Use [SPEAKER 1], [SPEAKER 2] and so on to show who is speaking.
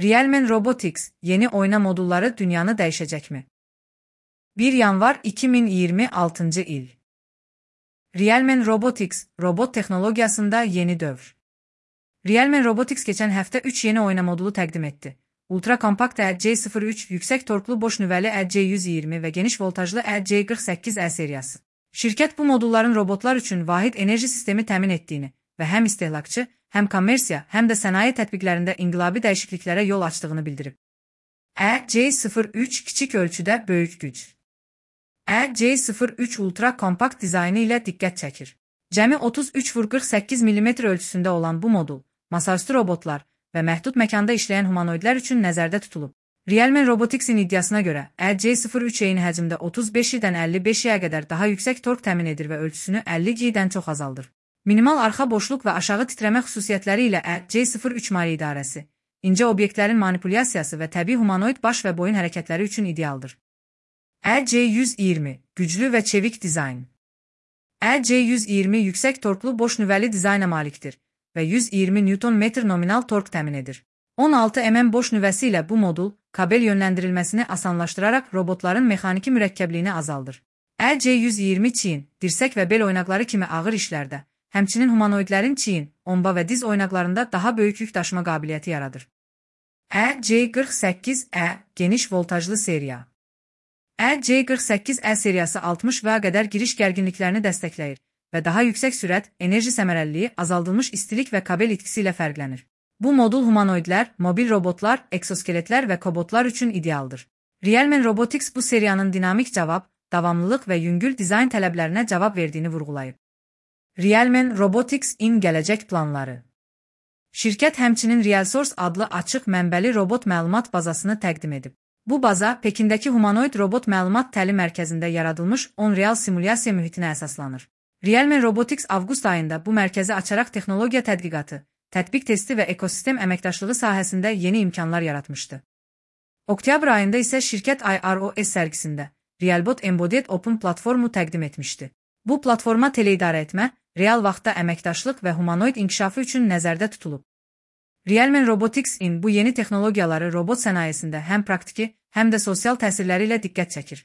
[SPEAKER 1] Realmen Robotics yeni oyna modulları dünyanı değişecek mi? 1 yanvar 2026 il. Realmen Robotics, robot texnologiyasında yeni dövr. Realmen Robotics geçen həftə 3 yeni oyna modulu təqdim etdi. Ultra kompakt EC03, yüksək torklu boş nüvəli EC120 və geniş voltajlı EC48E seriyası. Şirkət bu modulların robotlar üçün vahid enerji sistemi təmin etdiyini və həm istehlakçı, həm kommersiya, həm də sənaye tətbiqlərində inqilabi dəyişikliklərə yol açdığını bildirib. EC03 kiçik ölçüdə böyük güc. EC03 ultra kompakt dizaynı ilə diqqət çəkir. Cəmi 33x48 mm ölçüsündə olan bu modul, masaüstü robotlar və məhdud məkanda işləyən humanoidlər üçün nəzərdə tutulub. Realmen Robotics'in iddiasına görə, EC03 eyni həcmdə 35-dən 55-yə qədər daha yüksək tork təmin edir və ölçüsünü 50G-dən çox azaldır. Minimal arxa boşluq və aşağı titrəmə xüsusiyyətləri ilə EC03 mali idarəsi, incə obyektlərin manipulyasiyası və təbii humanoid baş və boyun hərəkətləri üçün idealdır. EC120 güclü və çevik dizayn. EC120 yüksək torklu boş nüvəli dizayna malikdir və 120 Nm nominal tork təmin edir. 16 mm boş nüvəsi ilə bu modul, kabel yönləndirilməsini asanlaşdıraraq robotların mexaniki mürəkkəbliyini azaldır. EC120 çiyin, dirsək və bel oynaqları kimi ağır işlərdə, həmçinin humanoidlərin çiyin, omba və diz oynaqlarında daha böyük yük daşıma qabiliyyəti yaradır. EC48E geniş voltajlı seriya. EC48E seriyası 60 və qədər giriş gərginliklərini dəstəkləyir və daha yüksək sürət, enerji səmərəliliyi, azaldılmış istilik və kabel itkisi ilə fərqlənir. Bu modul humanoidlər, mobil robotlar, eksoskeletlər və kobotlar üçün idealdır. Realmen Robotics bu seriyanın dinamik cavab, davamlılıq və yüngül dizayn tələblərinə cavab verdiyini vurğulayıb. Realmen Robotics-in gələcək planları. Şirkət həmçinin RealSource adlı açıq mənbəli robot məlumat bazasını təqdim edib. Bu baza, Pekindəki humanoid robot məlumat təlim mərkəzində yaradılmış on-real simulyasiya mühitinə əsaslanır. Realmen Robotics avqust ayında bu mərkəzi açaraq texnologiya tədqiqatı, tətbiq testi və ekosistem əməkdaşlığı sahəsində yeni imkanlar yaratmışdı. Oktyabr ayında isə şirkət IROS sərgisində Realbot Embodied Open platformu təqdim etmişdi. Bu platforma teleidarə etmə, real vaxtda əməkdaşlıq və humanoid inkişafı üçün nəzərdə tutulub. Realmen Robotics-in bu yeni texnologiyaları robot sənayesində həm praktiki, həm də sosial təsirləri ilə diqqət çəkir.